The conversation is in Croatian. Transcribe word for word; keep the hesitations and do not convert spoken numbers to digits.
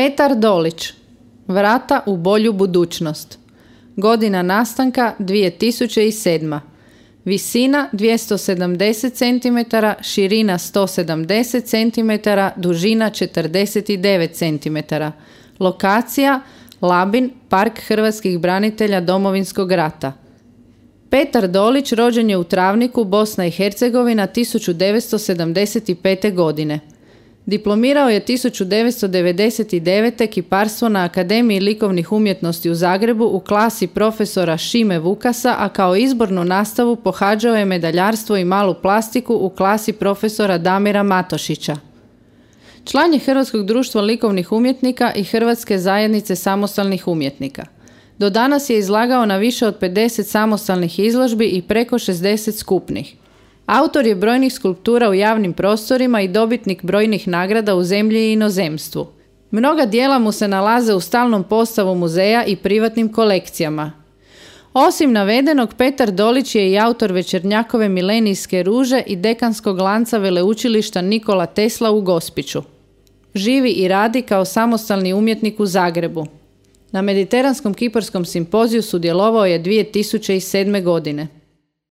Petar Dolić, Vrata u bolju budućnost. Godina nastanka dvije tisuće sedma. Visina dvjesto sedamdeset centimetara, širina sto sedamdeset centimetara, dužina četrdeset devet centimetara. Lokacija Labin, Park hrvatskih branitelja Domovinskog rata. Petar Dolić rođen je u Travniku, Bosna i Hercegovina, tisuću devetsto sedamdeset pete. godine. Diplomirao je tisuću devetsto devedeset devete. kiparstvo na Akademiji likovnih umjetnosti u Zagrebu u klasi profesora Šime Vukasa, a kao izbornu nastavu pohađao je medaljarstvo i malu plastiku u klasi profesora Damira Matošića. Član je Hrvatskog društva likovnih umjetnika i Hrvatske zajednice samostalnih umjetnika. Do danas je izlagao na više od pedeset samostalnih izložbi i preko šezdeset skupnih. Autor je brojnih skulptura u javnim prostorima i dobitnik brojnih nagrada u zemlji i inozemstvu. Mnoga djela mu se nalaze u stalnom postavu muzeja i privatnim kolekcijama. Osim navedenog, Petar Dolić je i autor Večernjakove milenijske ruže i dekanskog lanca veleučilišta Nikola Tesla u Gospiću. Živi i radi kao samostalni umjetnik u Zagrebu. Na Mediteranskom kiparskom simpoziju sudjelovao je dvije tisuće sedme. godine.